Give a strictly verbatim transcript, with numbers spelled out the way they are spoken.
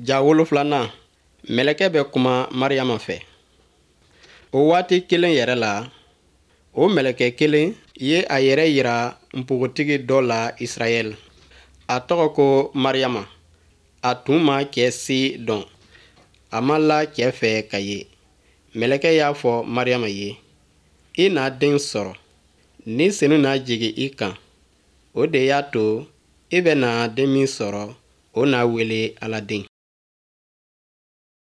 Ja wolofilanan, mɛlɛkɛ bɛ kuma Mariyama fɛ. O waati kelen yɛrɛ la, o mɛlɛkɛ kelen ye a yɛrɛ yira npogotigi dɔ la Israɛl. A tɔgɔ ko Mariyama. A tun ma cɛ si dɔn, a ma la cɛ fɛ ka ye. Mɛlɛkɛ y'a fɔ Mariyama ye: I na den sɔrɔ, Ni Senu na jigin i kan. O de y'a to i bɛna den min sɔrɔ, o na wele Ala den.